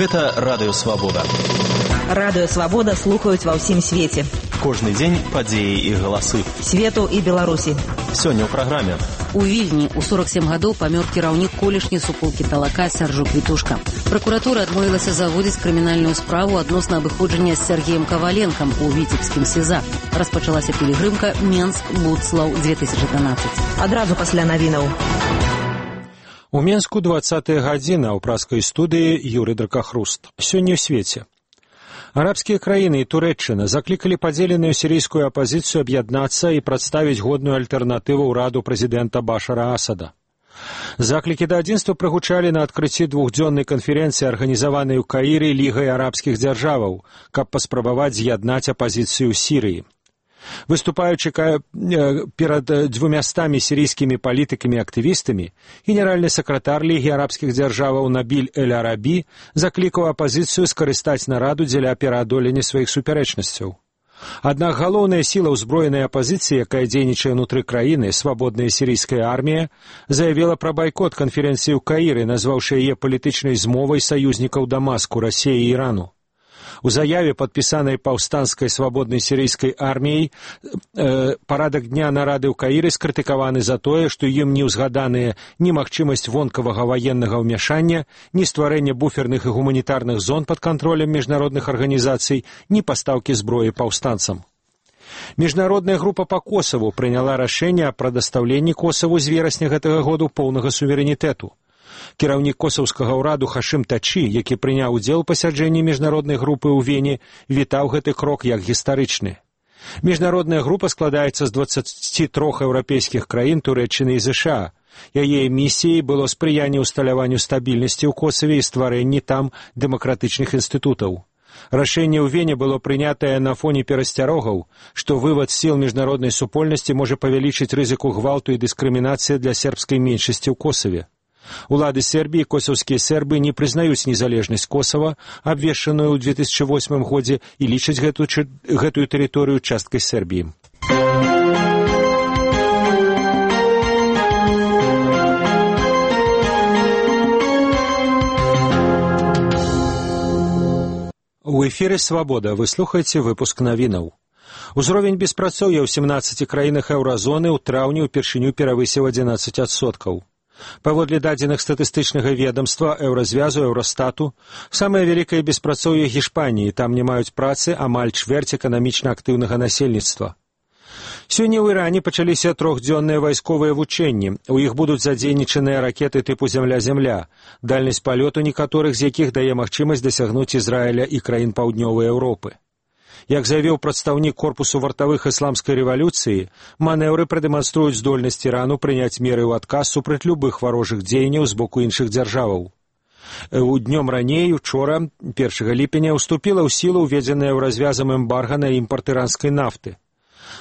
Гэта Радыё Свабода. Радыё Свабода слухаюць ва ўсім свеце. Кожны дзень падзеі і галасы. Свету і Беларусі. Сёння ў праграме. У Вільні ў 47 гадоў памёр кіраўнік колішняй суполкі Талака Сяржук Вітушка. Пракуратура адмовілася заводзіць крымінальную справу адносна абыходжання з Сергеем Каваленкам у Віцебскім СІЗА. Распачалася пілігрымка Менск-Будслаў 2012. Адразу пасля навінаў. У Менску 20-я гадзіна ў праскай студыі Юрый Дракахруст. Сёння ў свеце. Арабскія краіны і Турэччына заклікалі падзеленую сірійскую апазіцыю аб'яднацца і прадставіць годную альтэрнатыву ўраду прэзідэнта Башара Асада. Заклікі да адзінства прагучалі на адкрыцці двухдзённай канферэнцыі, арганізаванай у Каіры Лігай арабскіх дзяржаваў, каб паспрабаваць з'яднаць апазіцыю ў Сірыі. Выступаючы перад 200 сірійскімі палітыкамі і актывістамі, генеральны сакратар Лігі арабскіх дзяржаваў Набіль Эль-Арабі заклікаў апазіцыю скарыстаць нараду дзеля пераадолення сваіх супярэчнасцяў. Аднак галоўная сіла ўзброенай апазіцыі, якая дзейнічае ўнутры краіны, свабодная сірійская армія, заявіла пра байкот канферэнцыі ў Каіры, назваўшы яе палітычнай змовай саюзнікаў Дамаску, Расіі і Ірану. У заяве, падпісанай паўстанскай свабоднай сірійскай арміяй, парадак дня нарады ў Каіры скрытыкаваны за тое, што ім не ўзгаданыя ні магчымасць вонкавага ваеннага ўмяшання, ні стварэння буферных і гуманітарных зон пад кантролем міжнародных арганізацый, ні пастаўкі зброі паўстанцам. Міжнародная група па Косаву прыняла рашэнне аб прадастаўленні Косаву з верасня гэтага году поўнага суверэнітэту. Кіраўнік косаўскага ўраду Хашым Тачі, які прыняў удзел у пасяджэнні міжнароднай групы ў Вене, вітаў гэты крок як гістарычны. Міжнародная група складаецца з 23 еўрапейскіх краін, Турэччыны і ЗША. Яе місіяй было спрыянне ўсталяванню стабільнасці ў Косаве і стварэнні там дэмакратычных інстытутаў. Рашэнне ў Вене было прынятае на фоне перасцярогаў, што вывад сіл міжнароднай супольнасці можа павялічыць рызыку гвалту і дыскрымінацыі для сербскай меншасці ў Косаве. Улады Сербіі, косаўскія сербы не прызнаюць незалежнасць Косава, абвешчаную ў 2008 годзе, і лічаць гэтую тэрыторыю часткай Сербіі. У эфіры «Свабода» вы слухаеце выпуск навінаў. Узровень беспрацоўя ў 17 краінах еўразоны ў траўні ўпершыню перавысіў 11%. Паводле дадзеных статыстычнага ведамства, Еўразвязу, Еўрастату, самае вялікае беспрацоўе Гішпаніі, там не маюць працы амаль чвэрць эканамічна актыўнага насельніцтва. Сёння ў Іране пачаліся трохдзённыя вайсковыя вучэнні. У іх будуць задзейнічаныя ракеты тыпу «Зямля-Зямля», дальнасць палёту некаторых з якіх дае магчымасць дасягнуць Ізраіля і краін паўднёвай Еўропы. Як заявіў прадстаўнік корпусу вартавых ісламскай рэвалюцыі, манеўры прадэманструюць здольнасць Ірану прыняць меры ў адказ супраць любых варожых дзеянняў з боку іншых дзяржаваў. Днём раней, учора, 1 ліпеня, уступіла ў сілу ўведзеная Еўразвязам эмбарга на імпарт іранскай нафты.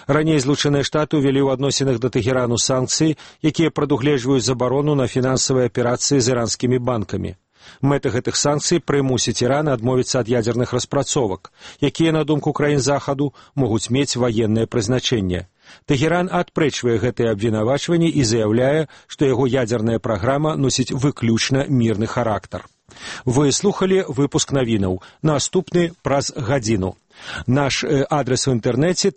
Раней Злучаныя Штаты ўвялі ў адносінах да Тэхерану санкцыі, якія прадугледжваюць забарону на фінансавыя аперацыі з іранскімі банкамі. Мэта гэтых санкцый прымусіць Іран адмовіцца ад ядзерных распрацовак, якія, на думку краін Захаду, могуць мець ваеннае прызначэнне. Тэхеран адпрэчвае гэтыя абвінавачванні і заяўляе, што яго ядзерная праграма носіць выключна мірны характар. Вы слухалі выпуск навінаў. Наступны праз гадзіну. Наш адрес у інтэрнэце